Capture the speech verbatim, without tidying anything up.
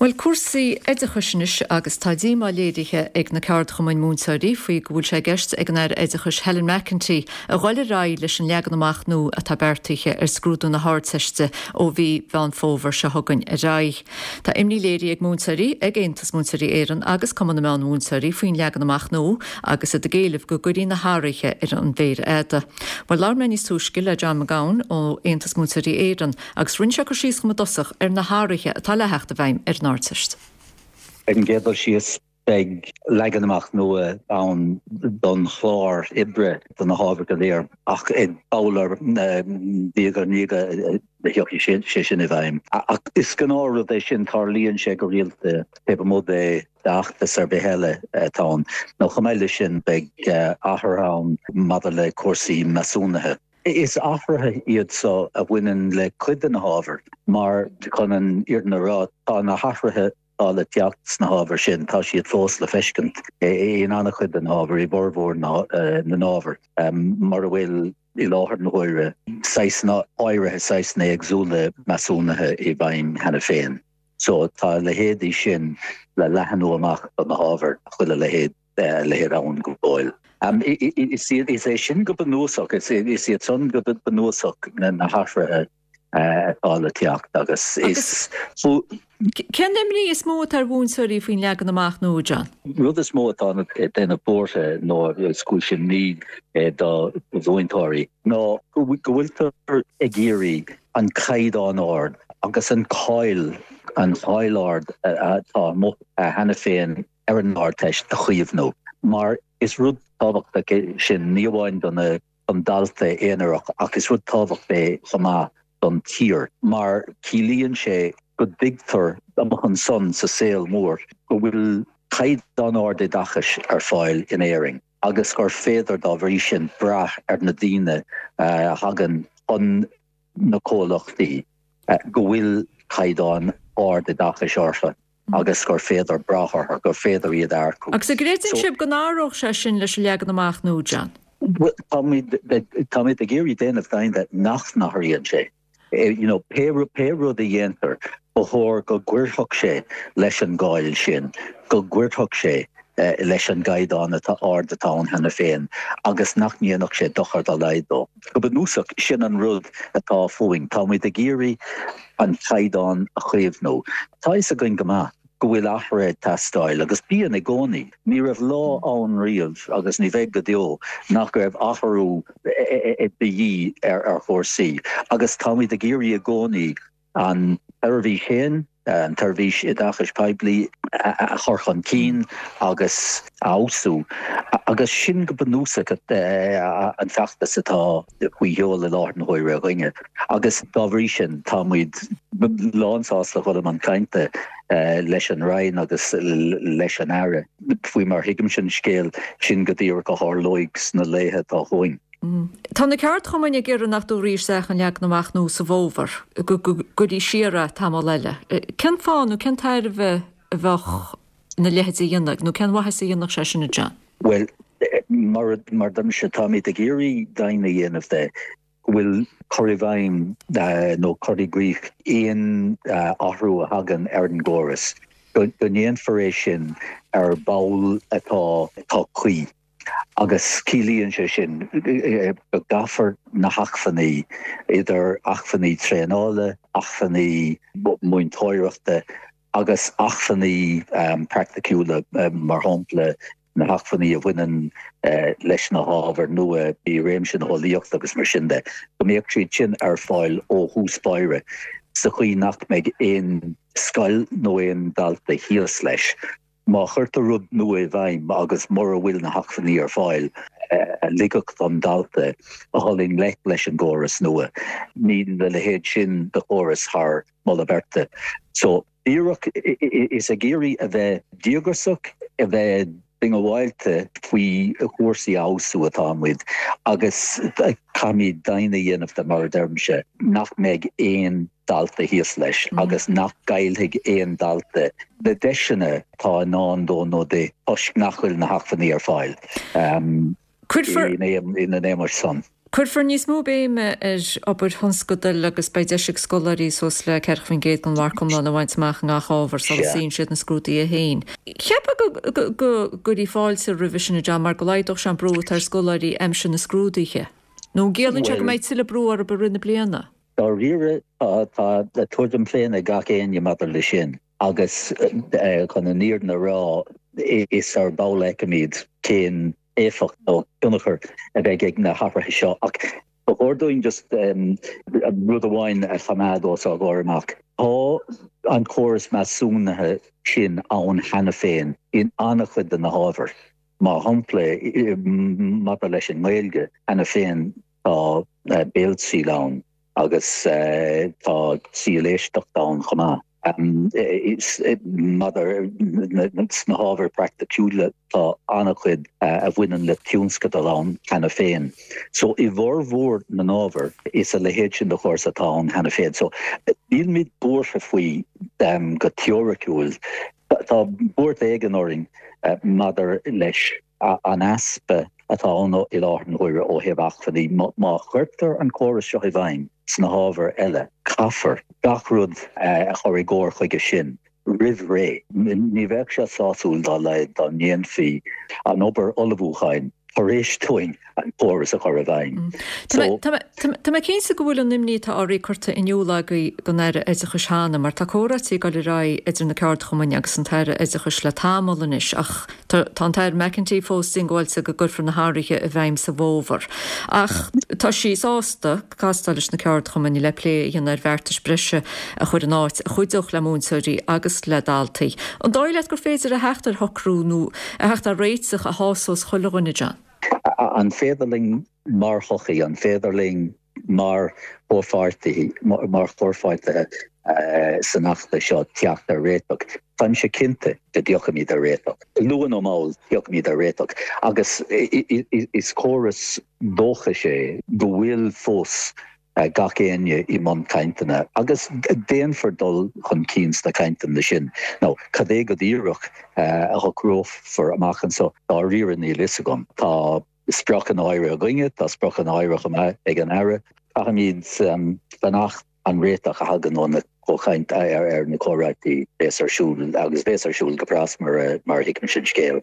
Bhuel, cúrsaí oideachais anois agus tá díomá léirithe ag na ceardchumainn múinteoirí faoi go bhfuil sé i gceist ag an Aire Oideachais Helen McEntee a dhul ar aghaidh leis an leagan amach nua atá beartaithe ar scrúdú na hArdteiste ó mhí Mheán Fómhair seo chugainn ar aghaidh. Tá imní léirithe ag múinteoirí ag Aontas Múinteoirí Éireann agus Cumann na Meánmhúinteoirí faoin leagan amach nua agus iad ag éileamh go gcuirfí na hathruithe ar an mhéar fhada. Well labhair mé níos túisce le John McGowan ó Aontas Múinteoirí Éireann agus rinne sé cur síos dom i dtosach ar na hathruithe atá le theacht i bhfeidhm ar an Ardteist. Ar an gcéad dul síos beidh leagan amach nua ann don chlár oibre do na hábhair go léir ach i ball diaidh ar ndiaidh a thiocfaidh sé sin i bhfeidhm. Ach is gnáthrud é sin tarlaíonn sé go rialta taobh amuigh de fheachtas ar bith eile atá ann. Nó chomh maith leis sin beidh athruithe ann maidir le cúrsaí measúnaithe. Is athruithe iad seo a bhaineann le cuid de na hábhair mar chun an fhírinne a rá tá na hathruithe atá le teacht sna hábhair sin tá siad fós le feiscint in an-chuid den ábhar i bhformhór na n-ábhar mar a bhfuil i láthair na huaire saghsanna áirithe saghsanna éagsúla measúnaithe i bhfeidhm cheana féin. So tá a leithéidí sin le leathnú amach do na hábhair chuile leithéid leithéid ann go fóill. Um, is is é sin go bunúsach is is iad san go bunúsach na na hathruithe atá le teacht agus is Cén imní is mó atá ar mhúinteoirí faoin leagan amach nua John? Rud is mó atá ag déanamh buartha nó is cúis imní do mhúinteoirí ná go bhfuiltear ag iarraidh an caighdeán ard agus an cáil an cháil ard atá cheana féin ar an Ardteist a chaomhnú. Mar is rud tábhachtach sin ní amháin don an dalta aonarach ach is rud tábhachtach é chomh maith don tír, mar ciallaíonn sé go dtuigtear amach ansan sa saol mór go bhfuil caighdeán ard oideachais ar fáil in Éirinn agus gur féidir dá bhrí sin brath ar na daoine a thagann chun na comhlachtaí go bhfuil caighdeán ard oideachais orthu. agus gur féidir brath orthu gur féidir iad a earcú. Agus an gcreideann sibh go n-athródh sé sin leis an leagan amach nua John. Táimid ag iarraidh déanamh deimhin de nach n-athraíonn sé. You know, pé pé rud a dhéantar ba chóir go gcuirfeadh sé leis an gcáil sin, go gcuirfeadh sé leis an gcaighdeán atá ard atá ann cheana féin agus nach ndéanfadh sé dochar dá laghad dó. Go bunúsach sin an rud atá fúinn, Táimid ag iarraidh an caighdeán a chaomhnú. Tá a fhios againn go maith go bhfuil athruithe ag teastáil agus bíonn i gcónaí. Ní raibh lá ann riamh agus ní bheidh go deo nach raibh athrú de dhíth ar ar chúrsaí agus táimid ag iarraidh i gcónaí an tseirbhís féin an tseirbhís oideachais poiblí a chur chun cinn agus a fheabhsú agus sin go bunúsach an feachtas atá faoi sheol i láthair na huaire againne agus dá bhrí sin táimid lánsásta dul i mbun cainte leis an Roinn agus leis an Aire faoi mar thuigimse an scéal sin go díreach a tharlóidh sna laethe atá chugainn. Tá na ceardchumainn ag iarraidh nach dtabharfaí isteach an leagan amach nua sa bhfómhar go gcuirfí siar é tamall eile. Cén fáth nó cén tairbhe a bheadh ina leithéid a dhéanamh nó cén mhaitheas a dhéanfadh sé sin a John? Well mar mar a deirimse táimid ag iarraidh deimhin a dhéanamh de go bhfuil cur i bhfeidhm nó cur i gcrích aon athrú a thagann ar an gcóras, go ndéanfar é sin ar ball atá atá cuí. Agus ciallaíonn sé sin go gcaithfear na hacmhainní, idir acmhainní traenála, acmhainní múinteoireachta agus acmhainní praiticiúla, mar shampla na hacmhainní a bhaineann leis na hábhair nua i réimse na heolaíochta agus mar sin de, go mbeadh siad sin ar fáil ó thús báire sa chaoi nach mbeidh aon scoil nó aon dalta thíos leis. Má chuirtear rud nua i bhfeidhm agus mura bhfuil na hacmhainní ar fáil a ligfeadh don dalta a dhul i ngleic leis an gcóras nua, níl a leithéid sin de chóras thar moladh beirte. So, díreach is ag iarraidh a bheith díograiseach, a bheith diongbháilte faoi chúrsaí a fheabhsú atá muid agus caithfimid deimhin a dhéanamh de, mar a deirimse, nach mbeidh aon dalta thíos leis agus nach gcaillfidh aon dalta na deiseanna atá i ndán dó nó di toisc nach bhfuil na hacmhainní ar fáil Cuirfear ina n-éagmais san. Cuirfear níos mó béime ar obair thionscadail agus beidh deis ag scoláirí suas le ceathracha faoin gcéad den mharc iomlán a bhaint amach i ngach ábhar sula suíonn siad na scrúduithe féin. Cheapfá go gcuirfí fáilte roimhe sin, a John, mar go laghdódh sé an brú atá ar scoláirí aimsir na scrúduithe. Nó an gciallaíonn sé go mbeidh tuilleadh brú orthu i rith na bliana? Dáiríre, tá tuairim féin ag gach éinne maidir leis sin agus chun an fhírinne a rá, is ar ball a fheicfimid cén éifeacht nó tionchar a bheidh ag na hathruithe seo. Ach ba chóir dúinn just rud amháin a choimeád os ár gcomhair amach. Tá an córas measúnaithe sin ann cheana féin in an-chuid de na hábhair. Mar shampla, maidir leis an nGaeilge, cheana féin tá béaltriail ann agus tá triail éisteachta ann chomh maith. Maidir sna hábhair praiticiúla tá an-chuid a bhaineann le tionscadal ann cheana féin. So i bhformhór na n-ábhar is a leithéid sin de chóras atá ann cheana féin. So nílimid buartha faoi go teoiriciúil. Tá buairt éigin orainn maidir leis an easpa atá ann i láthair na huaire ó thaobh acmhainní. Má chuirtear an córas seo i bhfeidhm sna hábhair eile, caithfear gach rud a chur i gcóir chuige sin roimh ré. Ní bheadh sé sásúil dá laghad dá ndéanfaí an obair ullmhúcháin tar éis dúinn an córas a chur i bhfeidhm. Tá mé cinnte go bhfuil an imní atá oraibh curtha in iúl agaibh don Aire Oideachais cheana, mar tá comhráití ag dul ar aghaidh idir na ceardchumainn agus an tAire Oideachais le tamall anois, ach tá an tAire McEntee fós diongbháilte go gcuirfear na hathruithe i bhfeidhm sa bhfómhar. Ach tá sí sásta castáil leis na ceardchumainn le plé a dhéanamh ar bheartais breise a chur in áit a chuideodh le múinteoirí agus le daltaí. An dóigh leat gur féidir a theacht ar shocrú nó a theacht ar réiteach a shásós chuile dhuine, John? An féidir linn mar shochaí, an féidir linn mar chomhpháirtithe, mar chomhpháirtithe san fheachtas seo teacht ar réiteach? Táimse cinnte go dtiocfaimid ar réiteach. Luath nó mall, tiocfaimid ar réiteach. Agus is córas dóchais é go bhfuil fós gach éinne i mbun cainteanna agus déanfar dul chun cinn sna cainteanna sin. Now, cad é go díreach a shocrófar amach anseo, dáiríre níl fhios agam. Tá spriocanna áirithe againne, tá spriocanna áirithe chomh maith ag an Aire. Caithfimid fanacht an réiteach a thagann ó na comhchaint ar na comhráití a bheas ar siúl agus bheas ar siúl go pras mar a thuigimse an scéal.